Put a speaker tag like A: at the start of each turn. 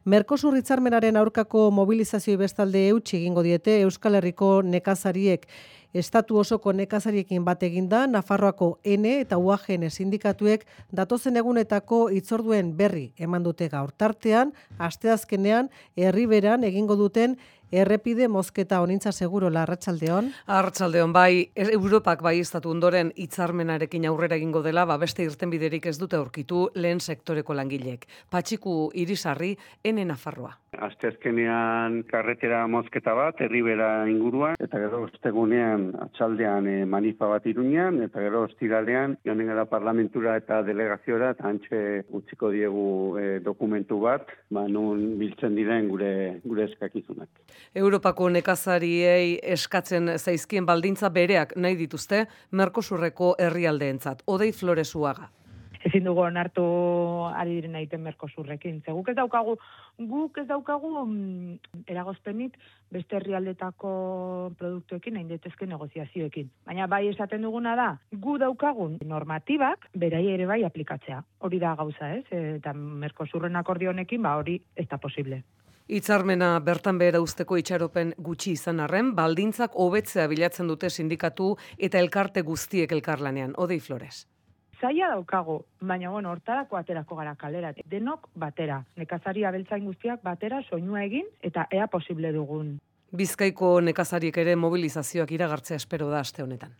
A: Mercosur hitzarmenaren aurkako mobilizazioi bestalde eutsi egingo diete Euskal Herriko nekazariek. Estatu osoko nekazariekin bat eginda, Nafarroako N eta UAGN sindikatuek datozen egunetako hitzorduen berri eman dute gaur. Tartean, asteazkenean herriberan egingo duten errepide mozketa. Onintza Segurola, arratsaldeon.
B: Arratsaldeon, bai, Europak bai estatu ondoren hitzarmenarekin aurrera egingo dela, beste irtenbiderik ez dute aurkitu lehen sektoreko langileek. Patxiku Irisarri, N Nafarroa.
C: Asteazkenean karretera mozketa bat, herribera inguruan, eta gero ostegunean atxaldean manifa bat Iruñan, eta gero ostiralean joanen gara parlamentura eta delegaziora, eta antxe utziko diegu dokumentu bat, nun biltzen diren gure eskakizunak.
B: Europako nekazariei eskatzen zaizkien baldintza bereak nahi dituzte Mercosurreko herrialdeentzat. Odei Flores Uaga.
D: Ezin dugu onartu ari diren egiten Mercosurrekin. Ze guk ez daukagu eragozpenik beste herrialdetako produktuekin egin daitezke negoziazioekin. Baina bai esaten duguna da, gu daukagun normatibak berai ere bai aplikatzea. Hori da gauza, ez? Eta Mercosurren akordio honekin hori ez da posible.
B: Hitzarmena bertan behera uzteko itxaropen gutxi izan arren, baldintzak hobetzea bilatzen dute sindikatu eta elkarte guztiek elkarlanean. Odei Flores.
D: Zaila daukagu, baina hortarako aterako gara kalera. Denok batera, nekazari abeltzain guztiak batera soinua egin eta ea posible dugun.
B: Bizkaiko nekazariek ere mobilizazioak iragartzea espero da aste honetan.